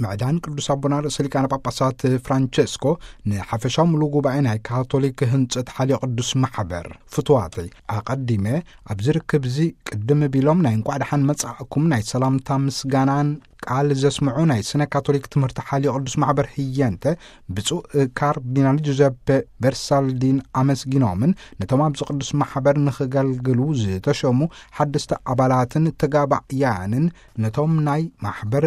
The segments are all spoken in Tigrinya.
ምዕዳን ቅዱስ ኣቦና ርእሰ ሊቃነ ጳጳሳት ፍራንቸስኮ ንሓፈሻዊ ምሉእ ጉባኤ ናይ ካቶሊክ ህንጸት ሓልዮ ቅዱስ ማሕበር። ፍትዋተይ፣ ኣቐዲመ ኣብዚ ርክብ እዚ ቅድም ቢሎም ናይ እንቋዕ ደሓን መጻእኩም ናይ ሰላምታ ምስጋናን ቃል ዘስምዑ ናይ ስነ ካቶሊክ ትምህርቲ ሓልዮ ቅዱስ ማሕበር ህየንተ ብፁዕ ካርዲናል ጁዘፔ በርሳልዲን ኣመስጊኖምን ነቶም ኣብዚ ቅዱስ ማሕበር ንኽገልግሉ ዝተሸሙ ሓደስቲ ኣባላትን ተጋባእያንን ነቶም ናይ ማሕበር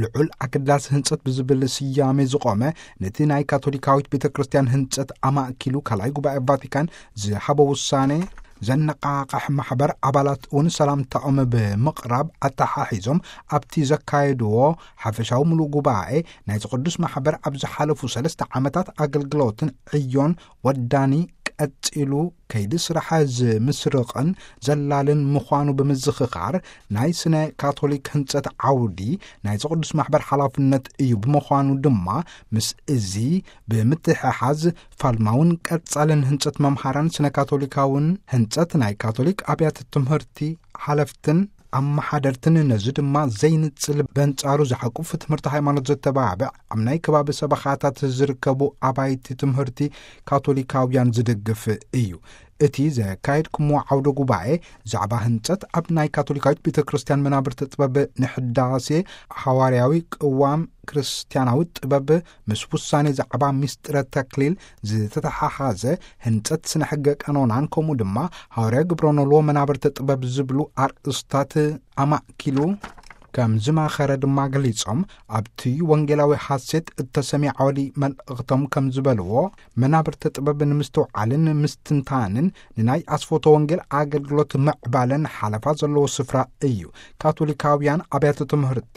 ልዑል ኣገዳሲ ህንጸት ብዝብል ስያሜ ዝቖመ ነቲ ናይ ካቶሊካዊት ቤተ ክርስቲያን ህንጸት ኣማእኪሉ ካልኣይ ጉባኤ ቫቲካን ዝሃቦ ውሳኔ ዘነቓቕሕ ማሕበር ኣባላት እውን ሰላምታኦም ብምቕራብ ኣተሓሒዞም ኣብቲ ዘካየድዎ ሓፈሻዊ ምሉእ ጉባኤ ናይቲ ቅዱስ ማሕበር ኣብ ዝሓለፉ ሰለስተ ዓመታት ኣገልግሎትን ዕዮን ወዳኒ ቀጺሉ ከይዲ ስራሕ ዝምስርቕን ዘላልን ምዃኑ ብምዝኽኻር ናይ ስነ ካቶሊክ ህንጸት ዓውዲ ናይቲ ቅዱስ ማሕበር ሓላፍነት እዩ። ብምዃኑ ድማ ምስ እዚ ብምትሕሓዝ ፋልማውን ቀጻልን ህንጸት መምሃራን ስነ ካቶሊካውን ህንጸት ናይ ካቶሊክ ኣብያተ ትምህርቲ ሓለፍትን ኣመሓደርትን ነዚ ድማ ዘይንጽል በንጻሩ ዝሓቁፍ ትምህርቲ ሃይማኖት ዘተባብዕ ኣብ ናይ ከባቢ ሰበኻታት ዝርከቡ ኣባይቲ ትምህርቲ ካቶሊካውያን ዝድግፍ እዩ። እቲ ዘካየድኩምዎ ዓውደ ጉባኤ ዛዕባ ህንጸት ኣብ ናይ ካቶሊካዊት ቤተ ክርስቲያን መናብርቲ ጥበብ ንሕዳሴ ሓዋርያዊ ቅዋም ክርስቲያናዊ ጥበብ ምስ ውሳኔ ዛዕባ ሚስጥረ ተክሊል ዝተተሓሓዘ ህንጸት ስነ ሕገ ቀኖናን ከምኡ ድማ ሃዋርያ ግብረ ኖልዎ መናብርቲ ጥበብ ዝብሉ ኣርእስታት ኣማእኪሉ ከም ዝማኸረ ድማ ገሊጾም ኣብቲ ወንጌላዊ ሓሴት እተሰምየ ዓወዲ መልእኽቶም ከም ዝበልዎ መናብርቲ ጥበብ ንምስትውዓልን ምስትንታንን ንናይ ኣስፎቶ ወንጌል ኣገልግሎት ምዕባለን ሓለፋ ዘለዎ ስፍራ እዩ። ካቶሊካውያን ኣብያተ ትምህርቲ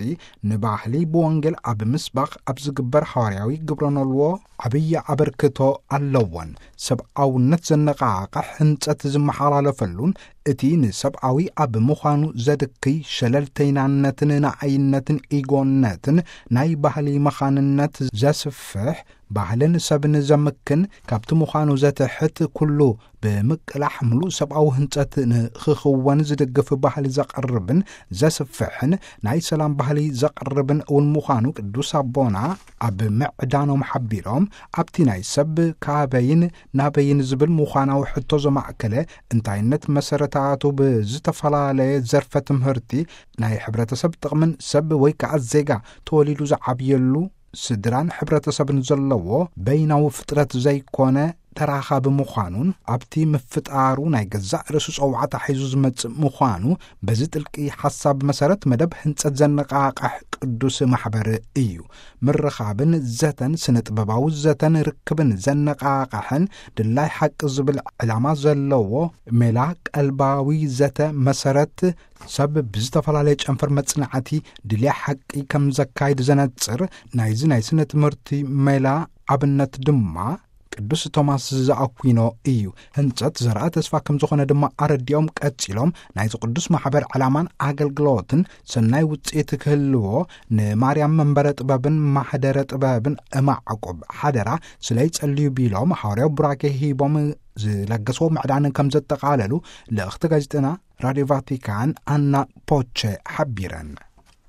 ንባህሊ ብወንጌል ኣብ ምስባኽ ኣብ ዝግበር ሃዋርያዊ ግብረ ኖልዎ ዓብዪ ኣበርክቶ ኣለዎን። ሰብኣውነት ዘነቓቕሕ ህንጸት ዝመሓላለፈሉን እቲ ንሰብኣዊ ኣብ ምዃኑ ዘድክይ ሸለልተይናነትን ንኣይነትን ኢጎነትን ናይ ባህሊ መኻንነት ዘስፍሕ ባህልን ሰብን ዘምክን ካብቲ ምዃኑ ዘትሕት ኩሉ ብምቅላሕ ምሉእ ሰብኣዊ ህንጸት ንኽኽወን ዝድግፍ ባህሊ ዘቕርብን ዘስፍሕን ናይ ሰላም ባህሊ ዘቕርብን እውን ምዃኑ ቅዱስ ኣቦና ኣብ ምዕዳኖም ሓቢሮም ኣብቲ ናይ ሰብ ካበይን ናበይን ዝብል ምዃናዊ ሕቶ ዘማእከለ እንታይነት መሰረታቱ ብዝተፈላለየ ዘርፈ ትምህርቲ ናይ ሕብረተሰብ ጥቕምን ሰብ ወይ ከዓ ዜጋ ተወሊዱ ዝዓብየሉ ስድራን ሕብረተሰብን ዘለዎ በይናዊ ፍጥረት ዘይኮነ ተራኻቢ ምዃኑን ኣብቲ ምፍጣሩ ናይ ገዛእ ርእሱ ጸዋዕታ ሒዙ ዝመጽእ ምዃኑ በዚ ጥልቂ ሓሳብ መሰረት መደብ ህንጸት ዘነቓቕሕ ቅዱስ ማሕበር እዩ። ምርኻብን ዘተን ስነ ጥበባዊ ዘተን ርክብን ዘነቓቕሕን ድላይ ሓቂ ዝብል ዕላማ ዘለዎ ሜላ ቀልባዊ ዘተ መሰረት ሰብ ብዝተፈላለየ ጨንፈር መጽናዕቲ ድልያ ሓቂ ከም ዘካይድ ዘነጽር ናይዚ ናይ ስነ ትምህርቲ ሜላ ኣብነት ድማ ቅዱስ ቶማስ ዘኣኩኖ እዩ። ህንጸት ዘርኣ ተስፋ ከም ዝኾነ ድማ ኣረዲኦም ቀጺሎም ናይዚ ቅዱስ ማሕበር ዕላማን ኣገልግሎትን ሰናይ ውጽኢት ክህልዎ ንማርያም መንበረ ጥበብን ማሕደረ ጥበብን እማዕቁብ ሓደራ ስለይጸልዩ ቢሎም ሃዋርያዊ ቡራኬ ሂቦም ዝለገስዎ ምዕዳንን ከም ዘጠቓለሉ ልእኽቲ ጋዜጠና ራድዮ ቫቲካን ኣና ፖቸ ሓቢረን።